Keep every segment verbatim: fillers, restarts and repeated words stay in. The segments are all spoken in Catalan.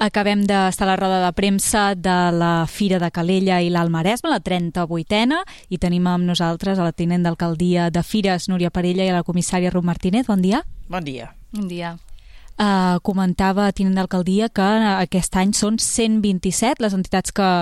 Acabem d'estar a la roda de premsa de la Fira de Calella i l'Alt Maresme, la trenta-vuitena, i tenim amb nosaltres a la tinent d'alcaldia de Fires, Núria Parella, i a la comissària Ruth Martínez. Bon dia. Bon dia. Bon dia. Uh, comentava, tinent d'alcaldia, que aquest any són cent vint-i-set les entitats que,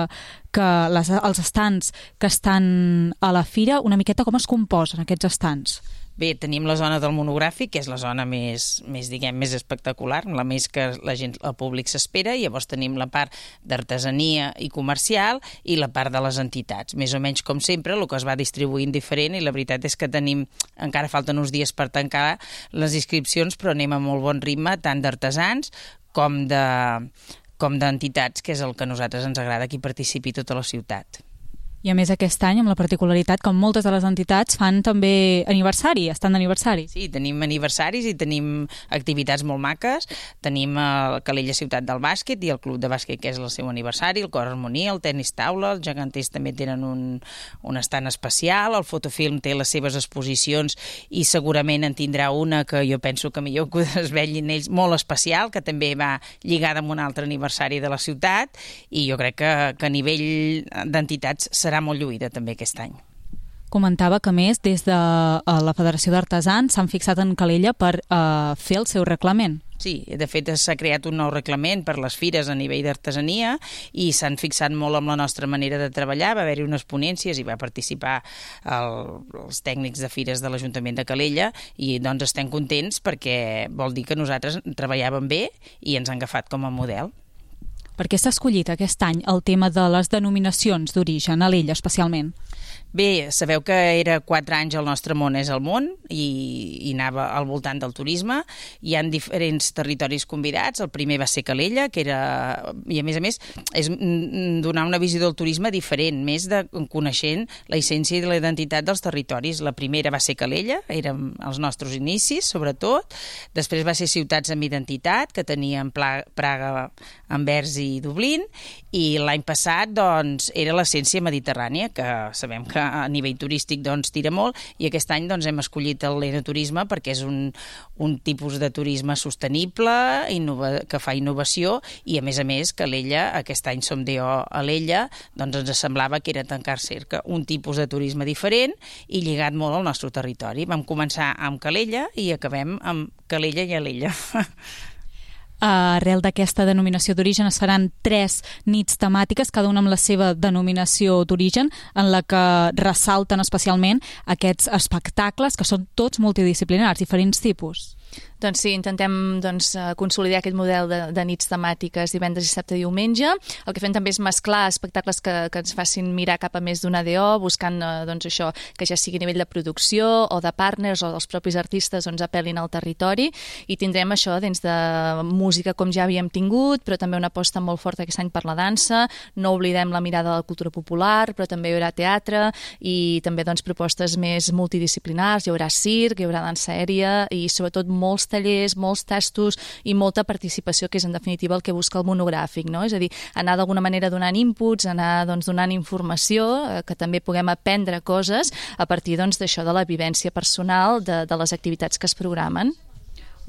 que les, els estants que estan a la Fira. Una miqueta com es composen aquests estants? Bé, tenim la zona del monogràfic, que és la zona més, més, diguem, més espectacular, la més que la gent, el públic s'espera, i llavors tenim la part d'artesania i comercial i la part de les entitats. Més o menys com sempre, el que es va distribuint diferent, i la veritat és que tenim, encara falten uns dies per tancar les inscripcions, però anem a molt bon ritme, tant d'artesans com de, com d'entitats, que és el que a nosaltres ens agrada, que hi participi tota la ciutat. I a més aquest any, amb la particularitat que moltes de les entitats fan també aniversari, estan d'aniversari. Sí, tenim aniversaris i tenim activitats molt maques. Tenim el Calella Ciutat del Bàsquet i el Club de Bàsquet, que és el seu aniversari, el Cor Harmonia, el Tenis Taula, els geganters també tenen un, un estant especial, el Fotofilm té les seves exposicions i segurament en tindrà una que jo penso que millor que es vegin ells, molt especial, que també va lligada amb un altre aniversari de la ciutat, i jo crec que, que a nivell d'entitats serà molt lluïda també aquest any. Comentava que, més, des de la Federació d'Artesans s'han fixat en Calella per uh, fer el seu reglament. Sí, de fet s'ha creat un nou reglament per les fires a nivell d'artesania i s'han fixat molt amb la nostra manera de treballar. Va haver-hi unes ponències i va participar el, els tècnics de fires de l'Ajuntament de Calella, i doncs estem contents perquè vol dir que nosaltres treballàvem bé i ens han agafat com a model. Per què s'ha escollit aquest any el tema de les denominacions d'origen, a l'Ella especialment? Bé, sabeu que era quatre anys el nostre món és el món i, i anava al voltant del turisme. Hi ha diferents territoris convidats. El primer va ser Calella, que era, i a més a més és donar una visió del turisme diferent, més de coneixent la essència i la identitat dels territoris. La primera va ser Calella, eren els nostres inicis, sobretot. Després va ser Ciutats amb Identitat, que tenien Praga, Anvers i Dublín, i l'any passat doncs, era l'essència mediterrània, que sabem que a nivell turístic doncs, tira molt, i aquest any doncs, hem escollit l'enoturisme perquè és un, un tipus de turisme sostenible, innova, que fa innovació, i a més a més Calella, aquest any som D O a l'Ella, doncs ens semblava que era tancar cerca un tipus de turisme diferent i lligat molt al nostre territori. Vam començar amb Calella i acabem amb Calella i a l'Ella. Arrel d'aquesta denominació d'origen es faran tres nits temàtiques, cada una amb la seva denominació d'origen, en la que ressalten especialment aquests espectacles que són tots multidisciplinars, diferents tipus. Doncs sí, intentem doncs, consolidar aquest model de, de nits temàtiques divendres, dissabte i diumenge. El que fem també és mesclar espectacles que, que ens facin mirar cap a més d'una D O, buscant doncs, això que ja sigui a nivell de producció o de partners o dels propis artistes doncs, apel·lin al territori, i tindrem això dins de música com ja havíem tingut, però també una aposta molt forta aquest any per la dansa. No oblidem la mirada de la cultura popular, però també hi haurà teatre i també doncs, propostes més multidisciplinars. Hi haurà circ, hi haurà dansa aèria i sobretot molts tallers, molts tastos i molta participació, que és en definitiva el que busca el monogràfic, no? És a dir, anar d'alguna manera donant inputs, anar doncs, donant informació, eh, que també puguem aprendre coses a partir doncs, d'això, de la vivència personal de, de les activitats que es programen.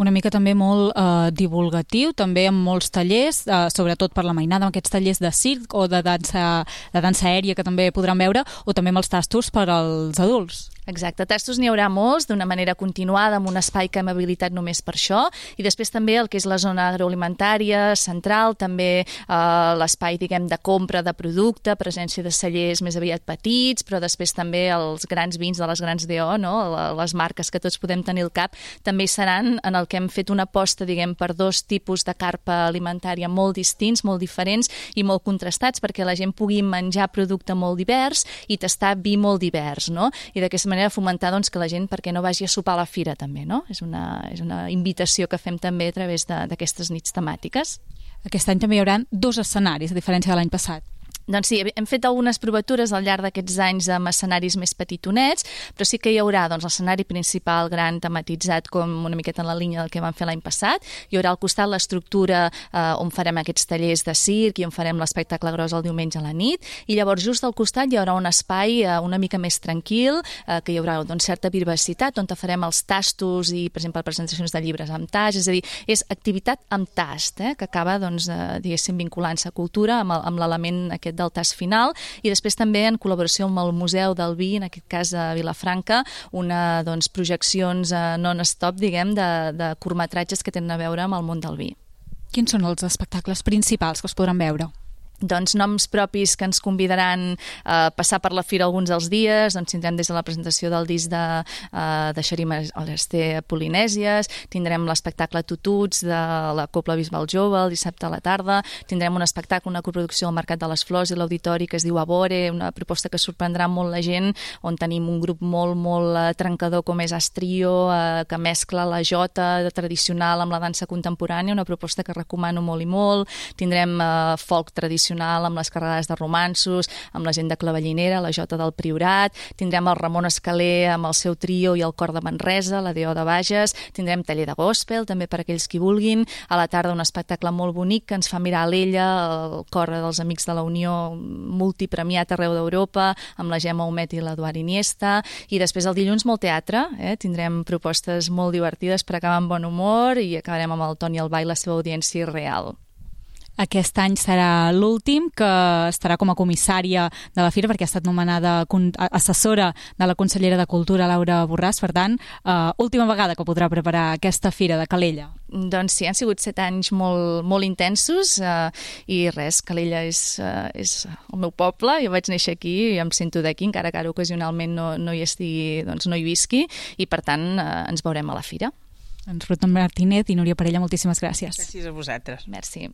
Una mica també molt eh, divulgatiu, també amb molts tallers, eh, sobretot per la mainada, amb aquests tallers de circ o de dansa, de dansa aèria que també podran veure, o també amb els tastos per als adults. Exacte, tastos n'hi haurà molts, d'una manera continuada, amb un espai que hem habilitat només per això, i després també el que és la zona agroalimentària central, també eh, l'espai, diguem, de compra de producte, presència de cellers més aviat petits, però després també els grans vins de les grans D O, no? Les marques que tots podem tenir al cap, també hi seran, en el que hem fet una aposta, diguem, per dos tipus de carpa alimentària molt distints, molt diferents i molt contrastats, perquè la gent pugui menjar producte molt divers i tastar vi molt divers, no? I d'aquesta manera fomentar doncs, que la gent, perquè no vagi a sopar a la fira també, no? És una, és una invitació que fem també a través d'aquestes nits temàtiques. Aquest any també hi haurà dos escenaris, a diferència de l'any passat. Doncs sí, hem fet algunes provatures al llarg d'aquests anys amb escenaris més petitonets, però sí que hi haurà doncs, l'escenari principal gran tematitzat com una miqueta en la línia del que vam fer l'any passat. Hi haurà al costat l'estructura eh, on farem aquests tallers de circ i on farem l'espectacle gros el diumenge a la nit, i llavors just al costat hi haurà un espai eh, una mica més tranquil, eh, que hi haurà doncs, certa privacitat, on farem els tastos i, per exemple, presentacions de llibres amb tast, és a dir, és activitat amb tast, eh, que acaba, doncs, eh, diguéssim, vinculant-se a cultura amb, amb l'element aquest del tast final, i després també en col·laboració amb el Museu del Vi, en aquest cas a Vilafranca, una, doncs, projeccions eh, non-stop, diguem, de, de curtmetratges que tenen a veure amb el món del vi. Quins són els espectacles principals que es podran veure? Doncs noms propis que ens convidaran a passar per la fira alguns dels dies. Doncs tindrem des de la presentació del disc de, uh, de Xarim Alester Polinèsies, tindrem l'espectacle Tututs de la Cobla Bisbal Jove el dissabte a la tarda, tindrem un espectacle, una coproducció al Mercat de les Flors i l'Auditori que es diu Abore, una proposta que sorprendrà molt la gent, on tenim un grup molt, molt uh, trencador com és Astrio, uh, que mescla la jota tradicional amb la dansa contemporània, una proposta que recomano molt i molt. Tindrem uh, folk tradicional amb les carregades de romanços, amb la gent de Clavellinera, la Jota del Priorat, tindrem el Ramon Escaler amb el seu trio i el cor de Manresa, la D O de Bages, tindrem taller de gospel, també per aquells qui vulguin, a la tarda un espectacle molt bonic que ens fa mirar a l'Ella, el cor dels Amics de la Unió, multipremiat arreu d'Europa, amb la Gemma Humet i l'Eduard Iniesta, i després el dilluns molt teatre, eh? Tindrem propostes molt divertides per acabar amb bon humor i acabarem amb el Toni Albà i la seva audiència real. Aquest any serà l'últim que estarà com a comissària de la fira, perquè ha estat nomenada assessora de la consellera de Cultura, Laura Borràs. Per tant, uh, última vegada que podrà preparar aquesta fira de Calella. Doncs sí, han sigut set anys molt, molt intensos uh, i res, Calella és, uh, és el meu poble, jo vaig néixer aquí i em sento d'aquí, encara que ara ocasionalment no, no hi estigui, doncs no hi visqui, i per tant uh, ens veurem a la fira. Doncs Ruth Martínez i Núria Parella, moltíssimes gràcies. Gràcies a vosaltres. Merci.